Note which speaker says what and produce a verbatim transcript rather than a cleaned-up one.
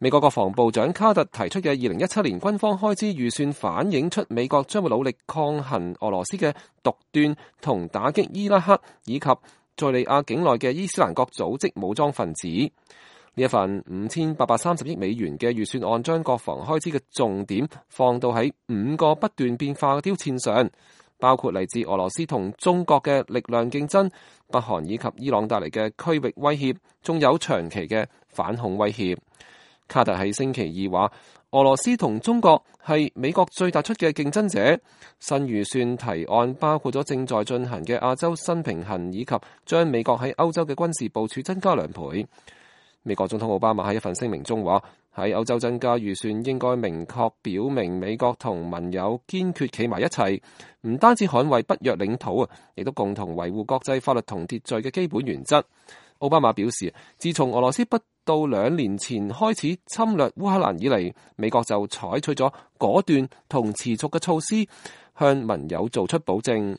Speaker 1: 美國國防部長卡特提出嘅二零一七年軍方開支預算反映出美國將會努力抗衡俄羅斯嘅獨斷同打擊伊拉克以及敘利亞境內嘅伊斯蘭國組織武裝分子。呢一份五千八百三十億美元嘅預算案將國防開支嘅重點放到喺五個不斷變化嘅挑戰上，包括嚟自俄羅斯同中國嘅力量競爭、北韓以及伊朗帶嚟嘅區域威脅，仲有長期嘅反恐威脅。卡特喺星期二話，俄羅斯同中國係美國最突出嘅競爭者。新預算提案包括咗正在進行嘅亞洲新平衡，以及將美國喺歐洲嘅軍事部署增加兩倍。美國總統奧巴馬喺一份聲明中話，喺歐洲增加預算應該明確表明美國同盟友堅決企埋一齊，唔單止捍衛北約領土啊，亦都共同維護國際法律同秩序嘅基本原則。奧巴馬表示，自從俄羅斯不到兩年前開始侵略烏克蘭以嚟，美國就採取咗果斷同持續嘅措施，向盟友做出保證。